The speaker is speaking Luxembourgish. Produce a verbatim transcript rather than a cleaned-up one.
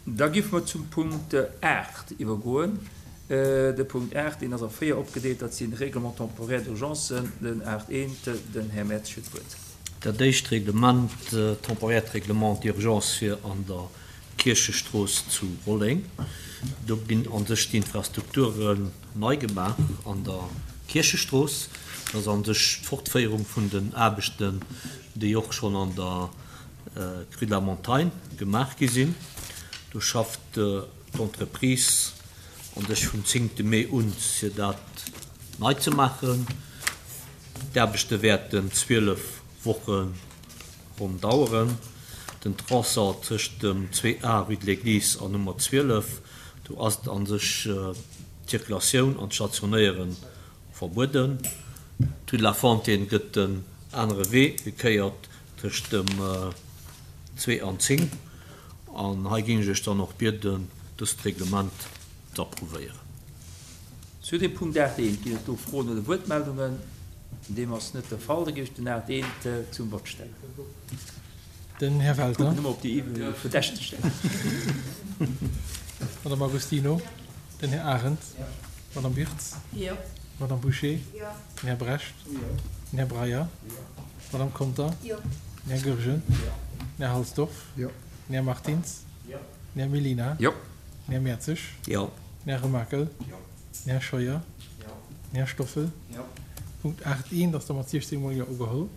Da géife mer zum Punkt aacht iwwergoen. De Punkt aacht, deen ass a véier opgedeelt, dat si Règlements temporaires d'urgence. Den aacht eent, den Här Mertz huet d'Wuert. Dat éischt Règlement, temporaire Règlement d'urgence fir an der Kierchestrooss zu Rolleng. Do ginn a sech d'Infrastrukturen nei gemaach an der Kierchestrooss. Dat ass a sech d'Fortféierung vun den Aarbechten, déi och schonn an der Rue de la Montagne gemaach gi sinn. Do schafft d'Entreprise an sech vum zéngte Mee un, fir dat nei ze maachen. D'Aarbechte wäerten zwielef Woche ronn daueren. Den Tronçon tëscht dem zwee A rue de l'Église an Nummer zwielef, do ass et an sech d'Zirkulatioun an d'Stationéiere verbueden. D'Rue de la Fontaine gëtt den anere Wee gekéiert tëscht dem zwee an zéng. An hei géing ech Iech dann och bieden, dëst Reglement z'approuvéieren. Zu dem Punkt aacht eent, ginn et do Froen oder Wuertmeldungen? Deem ass net de Fall. Da géif ech den aacht eent zum Vott stellen. Den Här Welter. Kucken nëmme op déi Verdächteg stellen. Madame Agostino. Den Här Arendt. Madame Birtz. Madame Bouché. Den Här Brecht. Den Här Breyer. Madame Conter. Den Här Goergen. Den Här Halsdorf. Den Här Martins. Den Här Mellina. Den Här Mertzig. Den Här Remakel. Den Här Scheuer. Den Här Stoffel. Punkt aacht eent ass da mat siechzéng mol Jo ugeholl.